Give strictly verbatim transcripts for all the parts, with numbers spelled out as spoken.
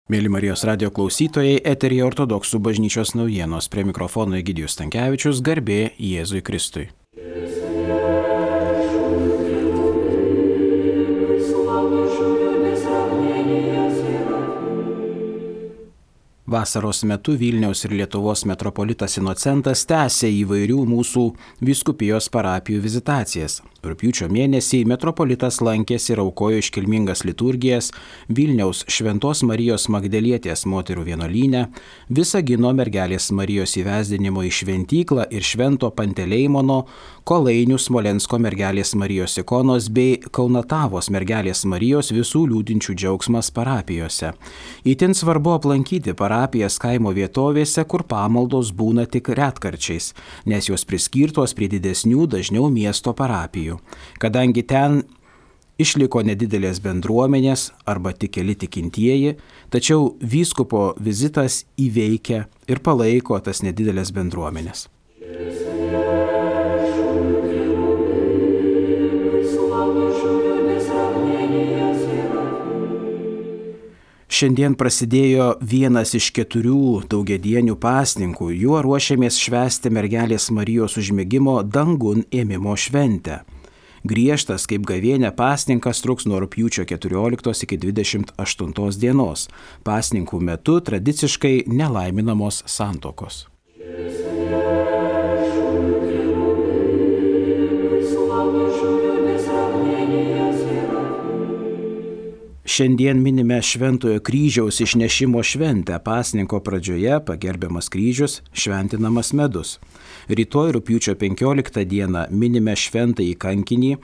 Mėly Marijos radio klausytojai, eteryje Ortodoksų bažnyčios naujienos, prie mikrofono Egidijus Stankevičius, garbė Jėzui Kristui. Vasaros metu Vilniaus ir Lietuvos metropolitas Inocentas tęsė įvairių mūsų vyskupijos parapijų vizitacijas. Rugpjūčio mėnesį metropolitas lankėsi ir aukojo iškilmingas liturgijas Vilniaus Šventos Marijos Magdalietės moterų vienuolyne, Visagino mergelės Marijos įvesdinimo į šventyklą ir Švento Panteleimono, Kolainių Smolensko mergelės Marijos ikonos bei Kaunatavos mergelės Marijos visų liūdinčių džiaugsmas parapijose. Itin svarbu aplankyti parapijas kaimo vietovėse, kur pamaldos būna tik retkarčiais, nes jos priskirtos prie didesnių, dažniau miesto parapijų. Kadangi ten išliko nedidelės bendruomenės arba tik keli tikintieji, tačiau vyskupo vizitas įveikia ir palaiko tas nedidelės bendruomenės. Šiandien prasidėjo vienas iš keturių daugiadienių pasninkų, juo ruošiamės švęsti mergelės Marijos užmigimo dangun ėmimo šventę. Griežtas kaip gavėnia pasninkas truks nuo rugpjūčio keturioliktos iki dvidešimt aštuntos dienos. Pasninkų metu tradiciškai nelaiminamos santuokos. Šiandien minime Šventojo kryžiaus išnešimo šventę. Pasninko pradžioje pagerbiamas kryžius, šventinamas medus. Rytoj rugpjūčio penkioliktą dieną minime šventąjį kankinį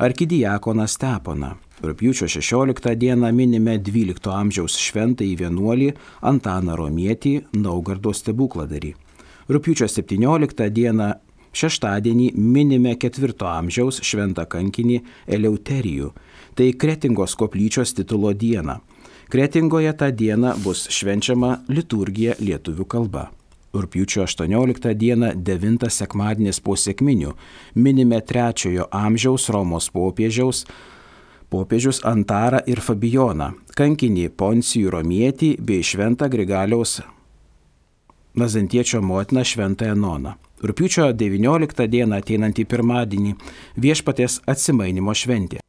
arkidiakoną Steponą. Rugpjūčio šešioliktą dieną minime dvylikto amžiaus šventąjį vienuolį Antaną Romietį, Naugardo stebukladarį. Rugpjūčio septynioliktą dieną šeštadienį minime ketvirto amžiaus šventą kankinį Eleuterijų. Tai Kretingos koplyčios titulo diena. Kretingoje tą dieną bus švenčiama liturgija lietuvių kalba. Rugpjūčio aštuonioliktą dieną devintas sekmadienis po sekminių minime trečiojo amžiaus Romos popiežiaus popiežius Antarą ir Fabijoną, kankinį Poncijų Romietį bei šventą Grigaliaus Nazantiečio motiną šventąją Enoną. Rugpjūčio devynioliktą dieną ateinantį pirmadienį viešpaties atsimainymo šventė.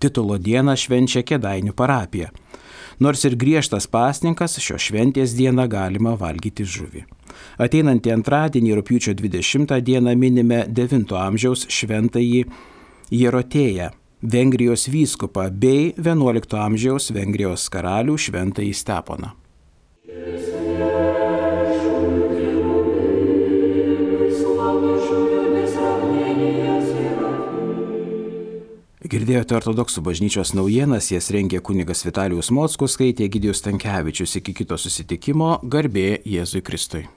Titulo dieną švenčia Kėdainių parapija. Nors ir griežtas pasninkas, šios šventės dieną galima valgyti žuvį. Ateinantį antradienį rugpjūčio dvidešimtą dieną minime devinto amžiaus šventąjį Jerotėją, Vengrijos vyskupą bei vienuolikto amžiaus Vengrijos karalių šventąjį Steponą. Girdėjote Ortodoksų bažnyčios naujienas, jas rengė kunigas Vitalijus Mockus, skaitė Egidijus Stankevičius. Iki kito susitikimo, garbė Jėzui Kristui.